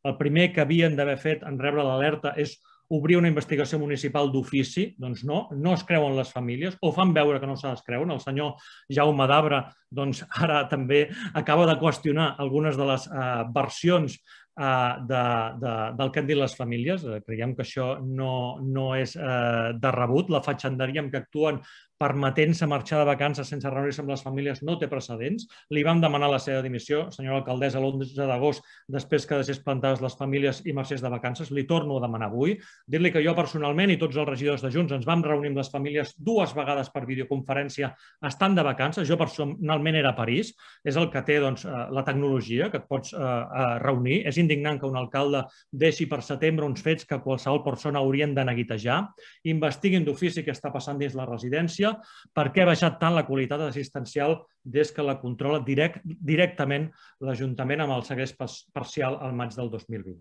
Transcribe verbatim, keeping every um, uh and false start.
el primer que havien d'haver fet en rebre l'alerta és obrir una investigació municipal d'ofici. Doncs no, no es creuen les famílies o fan veure que no se les creuen. El senyor Jaume Dabra doncs, ara també acaba de qüestionar algunes de les eh, versions eh, de, de, del que han dit les famílies. Eh, creiem que això no, no és eh, de rebut. La fatxenderia amb què actuen permetent-se marxar de vacances sense reunir-se amb les famílies no té precedents. Li vam demanar la seva dimissió, senyora alcaldessa, l'onze d'agost, després que deixés plantades les famílies i marxés de vacances. Li torno a demanar avui. Dir-li que jo personalment i tots els regidors de Junts ens vam reunir amb les famílies dues vegades per videoconferència estant de vacances. Jo personalment era a París. És el que té doncs, la tecnologia, que et pots eh, reunir. És indignant que un alcalde deixi per setembre uns fets que qualsevol persona haurien de neguitejar. Investiguin d'ofici què està passant dins la residència, per què ha baixat tant la qualitat assistencial des que la controla direct, directament l'Ajuntament amb el segrest parcial al maig del dos mil vint.